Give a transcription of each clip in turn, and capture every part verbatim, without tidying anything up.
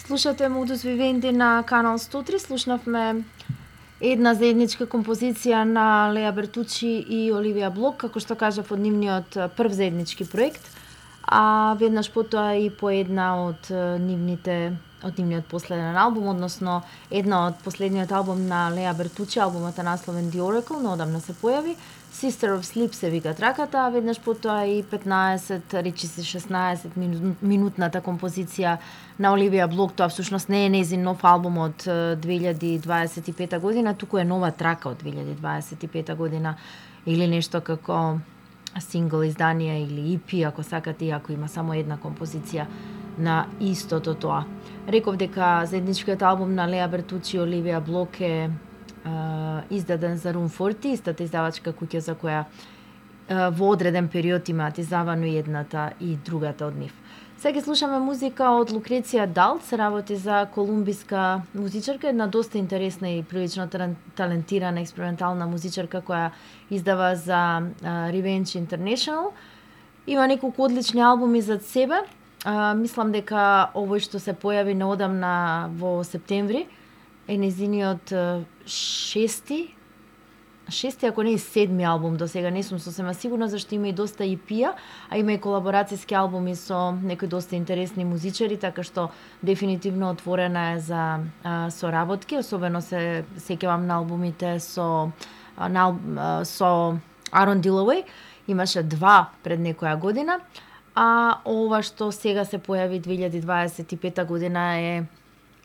Слушате Modus Vivendi на Канал сто три. Слушнавме една заедничка композиција на Леа Бертучи и Оливија Блок, како што кажав, од нивниот прв заеднички проект, а веднаш потоа и по една од нивните од нивниот последен албум, односно една од последниот албум на Леа Бертучи, албумот е насловен The Oracle, но одамна се појави. Sister of Sleep се вика траката, а веднаш потоа и петнаесет, речиси шеснаесет минутната композиција на Оливија Блок. Тоа всушност не е нејзин нов албум од две илјади дваесет и пета година, туку е нова трака од две илјади дваесет и пета година, или нешто како сингл издание или и пи, ако сакате, иако има само една композиција на истото тоа. Реков дека заедничкиот албум на Леа Бертучи и Оливија Блок е Uh, издаден за Room сорсет, истата издавачка куќа за која uh, во одреден период имаат издавано и едната и другата од нив. Сега слушаме музика од Лукреција Далт, се работи за колумбиска музичарка, една доста интересна и прилично талентирана експериментална музичарка која издава за uh, Revenge International. Има неколку одлични албуми зад себе. Uh, мислам дека овој што се појави неодамна во септември е незиниот шести, шести, ако не и седми албум до сега, не сум сосема сигурна, зашто има и доста и пи-а, а има и колаборацијски албуми со некои доста интересни музичари, така што дефинитивно отворена е за а, соработки, особено се сеќавам на албумите со на, а, со Арон Дилауеј, имаше два пред некоја година, а ова што сега се појави две илјади дваесет и пета година е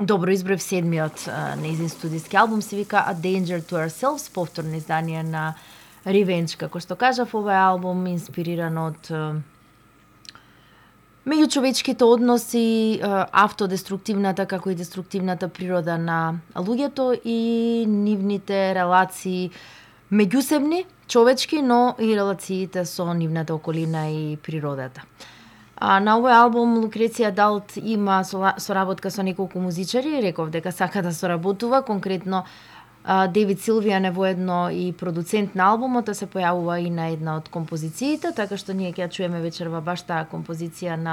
добро избрав седмиот нејзин студиски албум, се вика A Danger to Ourselves, повторно издание на Revenge. Како што кажав, овој албум инспириран од меѓучовечките односи, автодеструктивната како и деструктивната природа на луѓето и нивните релации меѓусебни, човечки, но и релациите со нивната околина и природата. А, на овој албум Лукреција Далт има соработка со неколку музичари, реков дека сака да соработува, конкретно Девид Силвијан е воедно и продуцент на албумот, а се појавува и на една од композициите, така што ние ќе ја чуеме вечерва баш таа композиција на